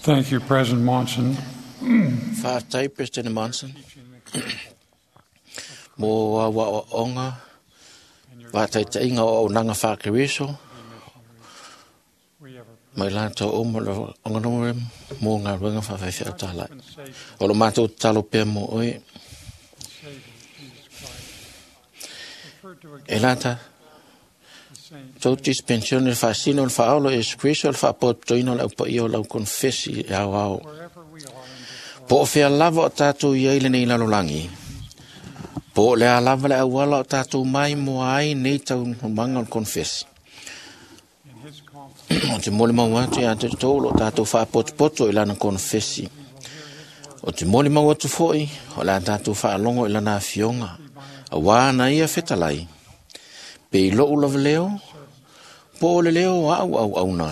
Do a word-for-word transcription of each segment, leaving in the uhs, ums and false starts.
Thank you, President Monson. Faafetai President Monson mo au aoaoga faataitaiga o auaunaga faa-Keriso mai latou uma o le mo galuega faafaifeau talai. O lo matou tatalo pea mo oe. E lata tou dispensione le faasino o le faaolo Iesu Keriso o le faapotopotoina o le aupaia o lau konefesi e aoao. Po o fea lava o tatou i ai lenei lalolagi, po o le a lava le auala o tatou mai moa ai nei taunumaga o le konefesi. O te molimau atu ia te outou o lo o tatou faapotopoto i lana konefesi. O te molimau atu foi o le a tatou faalogo i lana afioga, auā na ia fetalai, pe i lou lava leo, po o le leo o au auauna,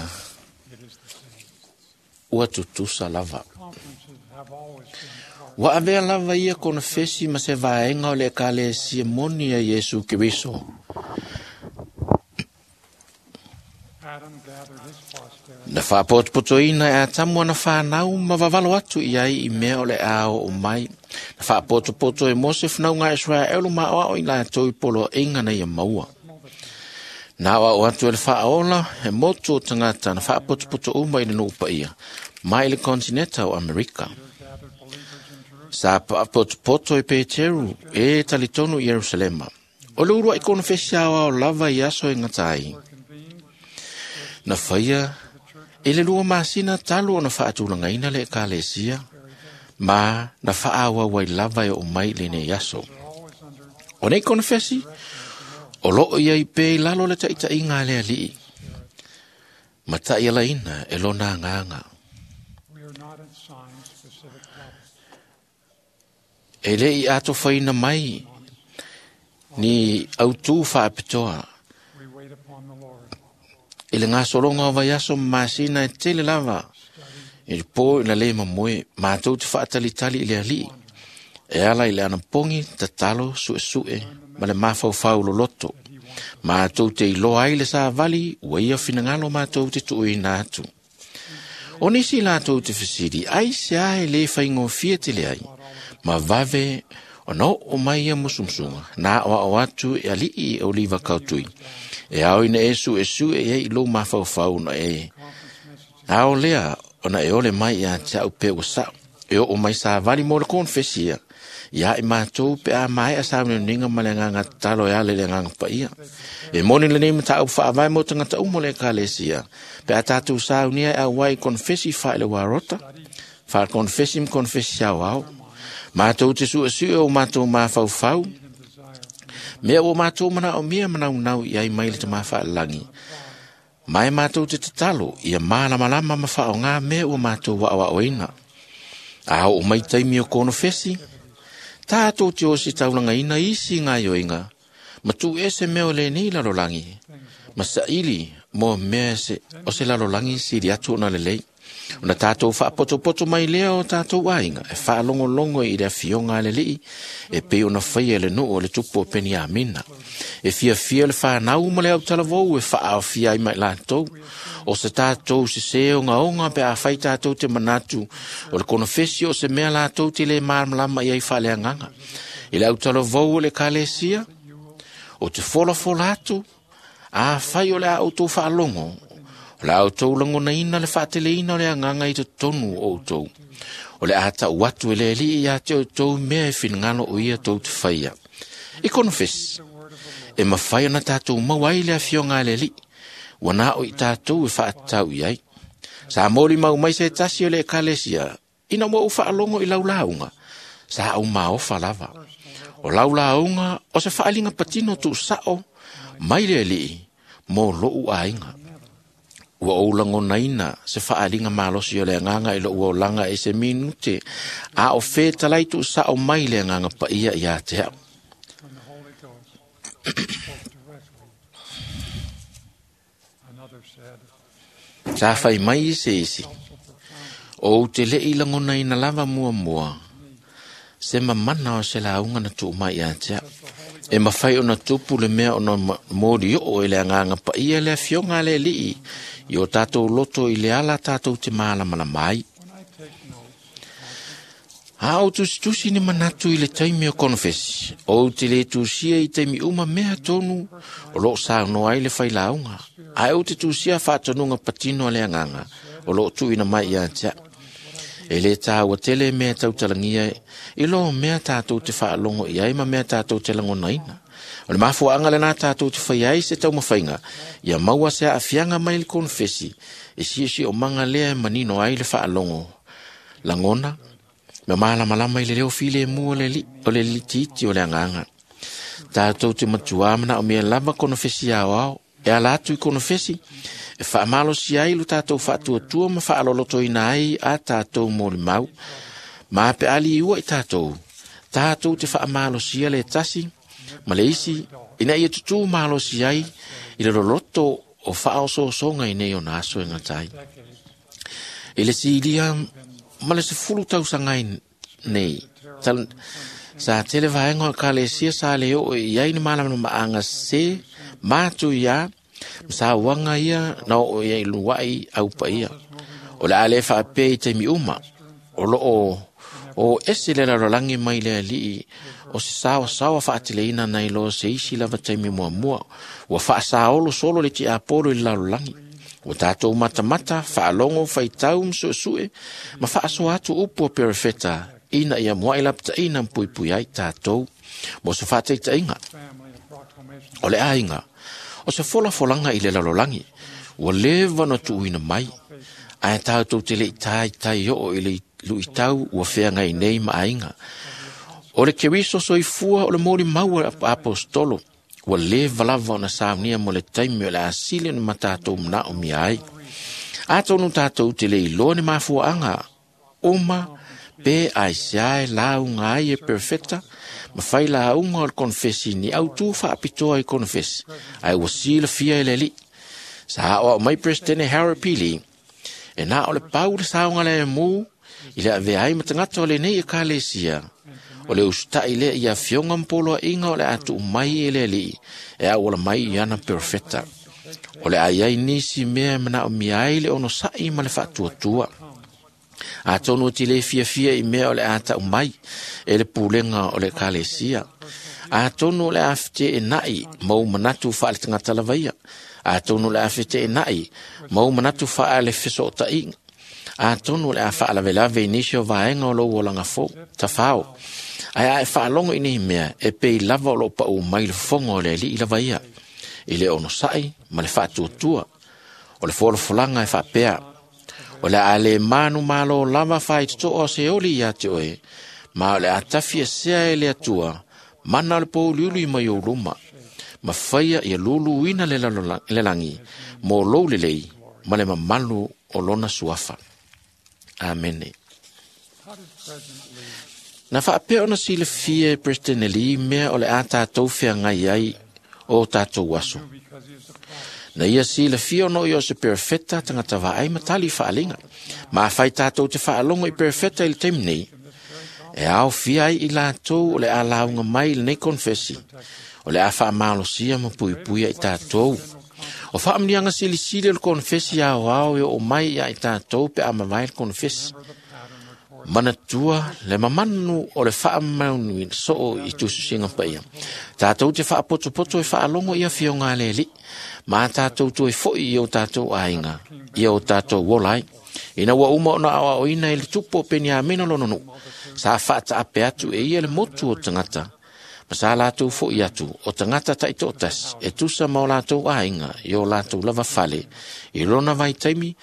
ua tutusa lava. Ua avea lava ia konefesi ma se vaega o le Ekalesia moni a Iesu Keriso. Na faapotopotoina e Atamu ana whanau ma vavalo atu i ai i mea o le a oo mai. Na faapotopoto e Mose whanau Israelu ma oao i latou i poloaiga na ia maua. Na aoao atu e le faaola e motu o tagata na faapotopoto uma i le nuu paia mai le kontineta o Amerika. Sa faapotopoto e Peteru e talitonu i Ierusalema. O le uluai konefesi aoao lava i aso e gata ai. Na faia i le lua masina talu ona faatulagaina le Ekalesia, ma na faaauau ai lava e oo mai i lenei aso. O nei konefesi, o loo i ai pea i lalo le taitaiga a le Alii, ma taialaina e lona agaga. E le i atofaina mai ni autū faapitoa. I le gasologa o vaiaso ma masina e tele lava, i le po ina le mamoe, matou te faatalitali i le Alii, e ala i le anapogi, tatalo, suesue, ma le mafaufau loloto. Matou te iloa ai le savali, ua ia finagalo matou te tuuina atu. O nisi latou te fesili, ai se a e le faigofie tele ai, ma vave ona oo mai ia musumusuga, na aoao atu e alii e Oliva Kautui. E ao ina e suesue i ai i lou mafaufau na e ao lea ona e ole mai ia te au pe ua sao. E oo mai savali mo le konefesia, ia i matou pe a maea sauniuniga ma le agaga tatalo e ala i le agaga paia. E moni lenei mataupu faavae mo tagata uma o le Ekalesia, pe a tatou saunia e auai i konefesi faaileoa faakonefesi ma konefesi aoao. Matou te suesue o matou mafaufau, mea ua matou manaomia manaunau i ai mai le Tama Faalelagi. Ma e matou te tatalo ia malamalama ma faaaoga mea ua matou aoaoina. A oo mai taimi o konefesi, tatou te ositaulagaina isi gaioiga, ma tuuese mea o lenei lalolagi, ma saili mo mea se, o se lalolagi sili atu ona lelei. Ona tatou faapotopoto mai lea o tatou aiga e faalogologo i le afioga a le Alii e pei ona faia e le nuu o le tupu o Peniamina. E fiafia le whanau ma le autalavou e faaofia ai mai latou. O se tatou sese ogaoga pe a fai tatou te manatu o le konefesi o se mea latou te le malamalama i ai faaleagaga. I le autalavou o le Ekalesia, o te folafola atu, a fai o le a outou faalogo, o le a outou lagonaina le faateleina o le agaga i totonu o outou. O le a tau atu e le Alii ia te outou mea e finagalo o ia tou te faia. I konefesi, e mafai ona tatou maua ai le afioga a le Alii, ua na o i tatou e faatatau i ai. Sa molimau mai se tasi o le Ekalesia, ina ua ou faalogo i lau lauga, sa ou maofa lava. O lau lauga o se faaliga patino tuusao mai le Alii mo lou aiga. Ua ou lagonaina se faaliga malosi o le agaga i lou olaga e se minute, a o fetalai tuusao mai le agaga paia ia te au. When the Holy Ghost spoke directly. Another said, Sa fai mai se isi, felt so profound o ou te lei lagonaina lava muamua, se mamana o se lauga na tuu mai ia te au. E mafai ona tupu le mea ona moli oo e le agaga paia le afioga a le Alii i o tatou loto i le ala tatou te malamalama ai. A o tusitusi ni manatu i le taimi o konofesi, o te le tusia i taimi uma mea tonu o loo saunoa ai le failauga. Ae o te tusia faatonuga patino a le agaga o loo tuuina mai ia te au. E le tāua tele mea tautalagia i lo mea tātou te faalogo i ai ma mea tātou te lagonaina. O le mafuaaga lenā tātou te fai ai se taumafaiga, ia maua se aafiaga mai le konofesi, e siosiomaga lea e manino ai le faalogo. Lagona, ma malamalama i le leo filemu o le li, o le litiiti o le agaga. Tātou te matuā manaomia lava konofesi aoao, e ala atu i konofesi, e faamalosi ai lo tātou faatuatua ma faalolotoina ai a tātou molimau. Ma pe ali ua i tātou, tātou te faamalosia le tasi, ma le isi, ina ia tutū malosi ai i le loloto o faaosoosoga i nei ona aso e gatai. I le silia ma le sefulu tausaga ai nei, tal, sa tele vaega o ekalesia sa le oo i ai ni malamalamaaga se matu ia, ma sauaga ia na oo ia i luai au paia. O le a le faapea i taimi uma, o loo o ese le lalolagi mai le alii o se saosaoa faateleina nai lo se isi lava taimi muamua. Ua faasaolo solo le tiapolo i le lalolagi. Ua tātou matamata, faalogo, faitau ma suesue, ma faasoa atu upu o perefeta, ina ia muai lapataina ma puipui ai tātou. Mo se faataitaiga, Family, a proclamation o le aiga, o se folafolaga i le lalolagi, ua leva ona tuuina mai, ae tātou te lei taitai oo i le luitau ua feagai nei ma aiga. O le Keriso soifua o le molimau a apostolo, ua leva lava ona saunia mo le taimi o le asili ona ma tatou manaomia ai. Atonu tātou te le iloa ni mafuaaga uma pe aisea e lauga ai e perfeta, ma fai lauga o le konofesi ni autū faapitoa i konofesi, ae ua silafia e le alii. Sa aoao mai Presidente Harold P. Lee, e na o le pau le saoga le mu i le avea ai ma tagata o lenei ekalesia. O le usita'i lea i afioga ma poloaiga o le a tuu mai e le alii e auala mai i ana perofeta. O le a i ai nisi mea e manaomia ai le onosa'i ma le faatuatua. Atonu e te le fiafia i mea o le a tau mai e le pulega o le ekalesia. Atonu o le a feteenai ma ou manatu faale tagata lava ia. Atonu o le a feteenai ma ou manatu faale fesootaiga. Atonu o le a faalavelave i nisi o vaega o lou olaga fou, tafao. Ae a e faalogo i nei mea, e pei lava o loo pau mai le fofoga o le alii lava ia, i le onosa'i ma le faatuatua. O le folafolaga e faapea, o le a le manu malo lava faitotoo o se oli ia te oe, ma o le a tafi esea e le Atua, mana o le pouliuli mai ou luma, ma faia ia luluina le, lalola- le lagi, mo lou lelei, ma le mamalu o lona suafa. Amene. How did President Lee Na faapea ona silafia e President Lee mea o le a tātou feagai ai o tātou aso. do because he is a prophet? Na ia silafia ona o ia o se perofeta tagata vaai ma tali faaaliga. Ma afai tātou te faalogo i perofeta i le taimi nei, e aofia ai i latou o le a lauga mai i lenei konofesi, o le a faamalosia ma puipuia i tātou. O faamanuiaga silisili o le konofesi aoao e oo mai ia i tātou pe a mavae le konofesi. Remember the pattern recorded Manatua le mamanu o le faamaunu soo i tusisiga paia. Tātou te faapotopoto e faalogo i afioga a le alii, ma tātou toe foi i o tātou aiga, i o tātou ola ai. Ina ua uma ona aoaoina i le tupu o Peniamina lona nuu, sa faataape atu e ia le motu o tagata, ma sa latou foi atu o tagata taitoatasi e tusa ma o latou aiga i o latou lava fale. I lona vaitaimi,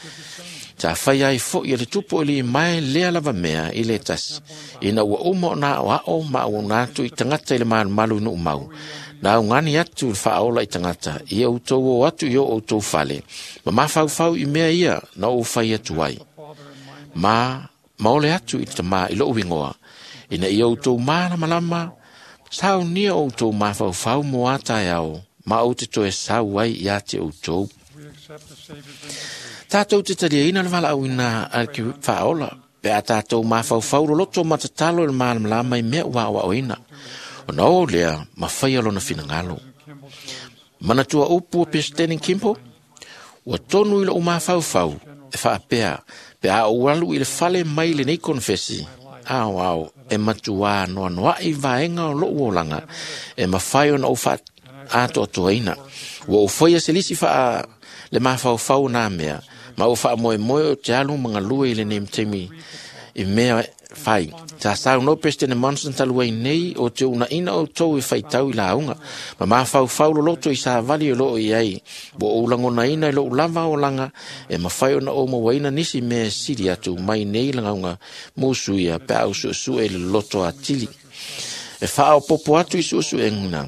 sa fai ai foi e le tupu o Limae lea lava mea i le tasi. Ina ua uma ona aoao ma auauna atu i tagata i le malumalu i Nuumau. Na augani atu le faaola i tagata, ia outou o atu i o outou fale, ma mafaufau i mea ia na ou fai atu ai. Father in my name. Ma, maole atu i le tamā i lou igoa, ina ia outou malamalama, saunia outou mafaufau mo a taeao, ma ou te toe sau ai ia te outou. We accept the Savior's invitation. Tātou te taliaina le valaauina a le ke faaola, pe a tātou mafaufau loloto ma tatalo i le malamalama i mea ua aoaoina. Ona o lea, ma faia lona finagalo. Kimball's words, Manatua upu o President Kimball, ua tonu i lou mafaufau e faapea, pe a ou alu i le fale mai lenei konofesi, aoao e matuā noanoa'i vaega o lo'u olaga e mafai ona ou fa'aatoatoaina. Ua ou faia se lisi fa'a le mafaufau o nā mea, ma ua fa'amoemoe o te alu ma galue i lenei taimi i mea fai. Sa saunoa Peresetene Monson talu ai nei o te uuna'ina outou e faitau i lauga, ma mafaufau loloto i savali o loo i ai. Ua ou lagonaina i lo'u lava olaga e mafai ona ou mauaina nisi mea e sili atu mai nei lagauga musuia pe a ou su'esu'e i le loloto atili. E faaopopo atu i su'esu'ega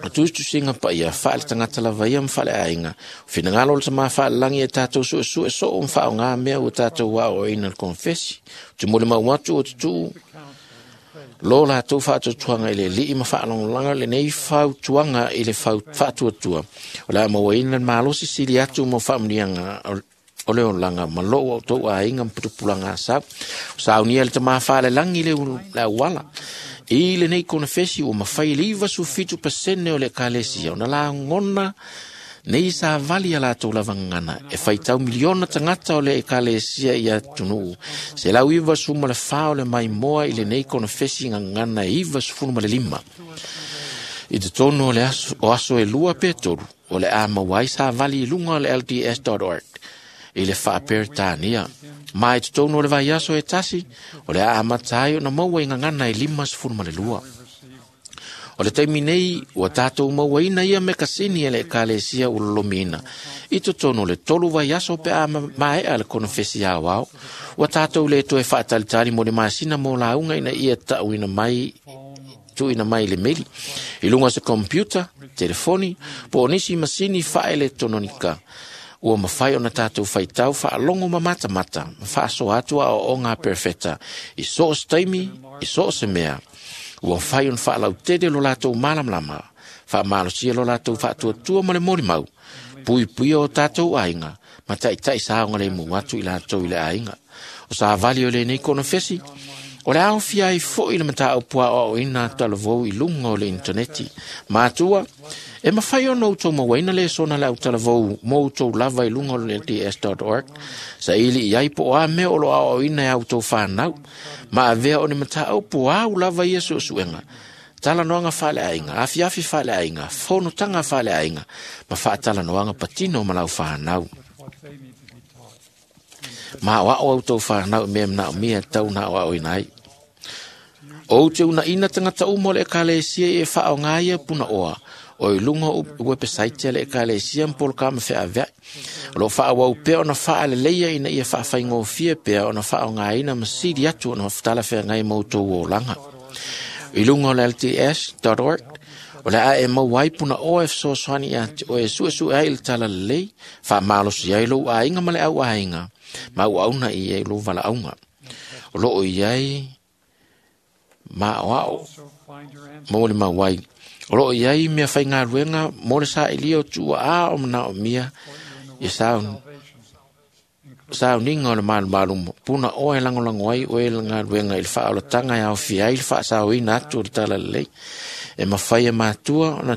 o tusitusiga paia faale-tagata lava ia ma faaleaiga, o finagalo o le Tamā Faalelagi e tatou su'esu'e soo ma faaaogā mea ua tatou aoaoina i le konefesi. Ou te molimau atu o tutuu lo latou faatuatuaga i le Alii ma faalagolago lenei fautuaga i le faatuatua o le a mauaina le malosi sili atu mo faamuniaga o le olaga ma lou outou aiga ma putupulaga asau. O saunia le Tamā Faalelagi le, le auala. I lenei konefesi ua mafai le iva fitu pasene o le ekalesia ona lagona nei savali a latou lava gagana e faitau miliona tagata o le ekalesia i atunuu. Se lau iva suma le fa o le maimoa i lenei konefesi gagana e iva sefulu ma le lima. I totonu o le aso, o aso e lua pe tolu, o le a maua ai savali i luga o le L D S dot org i le faaperetania. Ma i totonu o le vaiaso e tasi, o le a amata ai ona maua i gagana e lima sefulu ma le lua. O le taimi nei, ua tatou mauaina ia mekasini e le ekalesia ua lolomiina. I totonu o le tolu vaiaso pe a maea le konefesi aoao, ua tatou le toe faatalitali mo le masina mo lauga ina ia ta'uina mai tuuina mai i le meli. I luga o se computer, telefoni, po o nisi masini faaeletononika, ua mafai ona tatou faitau faalogo ma matamata, ma faasoa atu aoaoga a perefeta i so o se taimi, i so o se mea. Ua mafai ona faalautele lo latou malamalama, faamalosia lo latou faatuatua ma le molimau, puipuia o tatou aiga, ma ta'ita'i saogalemu atu i latou i le aiga. O savali o lenei konefesi, o le aofia ai fo'i le mataupu aoaoina talavou i luga o le intaneti. Matua, e mafai ona outou mauaina le sona le autalavou mo outou lava i luga o le L D S dot org, saili i ai po o a mea o lo aoaoina e a outou fanau, ma avea o ni mataupu au lava ia su'esu'ega, talanoaga faaleaiga, afiafi faaleaiga, fonotaga faaleaiga, ma faatalanoaga patino ma lau fanau. Ma aoao outou fanau i mea manaomia e tau na aoaoina ai. O te uuna'ina tagata uma o le ekalesia e faaaogā ia punaoa, o i luga o website a le ekalesia ma polokama feavea'i. O loo faaauau pea ona faaleleia ina ia faafaigofie pea ona faaaogāina ma sili atu ona talafeagai ma outou olaga. I luga o le L D S dot org, o le a e maua ai punaoa e fesoasoani ia te oe e su'esu'e ai i le talalelei, faamalosi ai lou aiga ma le au aiga, ma auauna i ai lou valaauga. O loo i ai maoao mo le mauai. O loo i ai mea faigaluega mo le sa'ilia o tuuaā o manaomia ia sauniga o le malumalu punaoa e lagolago ai oe le galuega i le faaolataga e aofia ai le faasaoina atu o le talalelei. E mafai e matua ona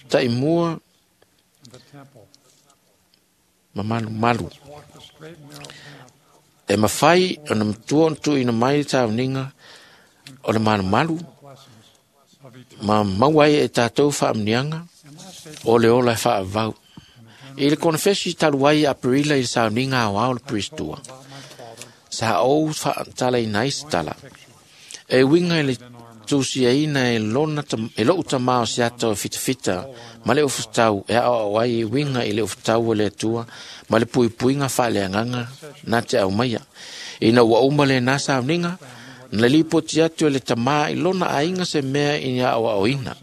ta'imua ma malumalu. E mafai ona matua ona tuuina mai le sauniga o le malumalu ma maua ai e tatou faamuniaga o le ola e faavavau. I le konefesi talu ai Aperila i le sauniga aoao le Peristua, sa ou faatalaina ai se tala. E uiga i le tusiaina e, lona, e lo'u tamā o se ata o fitafita ma le ufutau e aoao ai e uiga i le ufutau o le Atua ma le puipuiga faaleagaga na te aumaia. Ina ua uma lenā sauniga, na lipoti atu e le tamā i lona aiga se mea i aoaoina.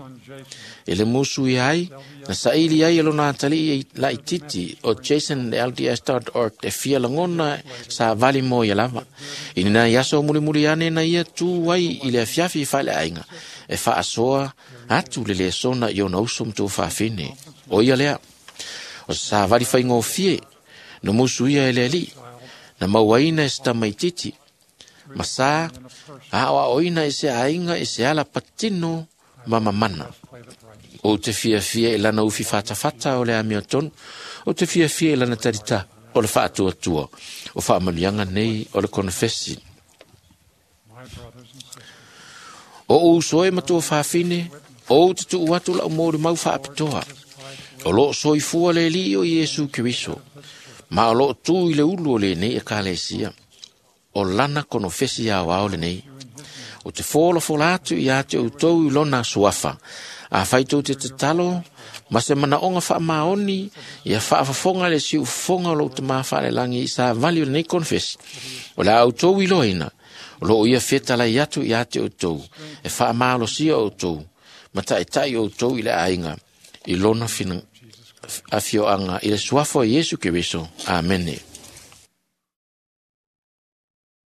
E le musu ia ai, na saili ai e lona atalii laititi o Jason L D S dot org e fia lagona savali mo ia lava. I nina i aso mulimuli ane na ia tu ai i le afiafi i faaleaiga e faasoa atu le lesona i ona uso ma tuafafine. O ia lea, o savali faigofie, na musu ia e le alii, na mauaina e se tamaititi, ma sa aoaoina i se aiga i se ala patino ma mamana. O te fiafia i lana ufi fatafata o le amiotonu, o te fiafia i lana tarita o le faatuatua, o faamanuiaga nei o le konefesi. brothers and sisters, O ou soe matua fafine, ou te tuu atu lau mōri mau whaapitoa. O loo soifua le li o Iesu Keriso. Ma o loo tū i le ulu o le nei e kalesia. O lana konofesi ao ao le nei. O te fōla fōla atu i ate o tau i lona suafa. A whaitou te tatalo, ma se manaonga wha maoni, ia whaafafonga le si ufonga o lou te mawhaale langi i sa vali o lenei konfesi. O le au tau i loina, o loo ia fetala i atu i ate o tau, e wha maalosia o tau, ma taitai o tau i le ainga, i lona fina, afioanga i le suafa o Iesu Keriso. Amene.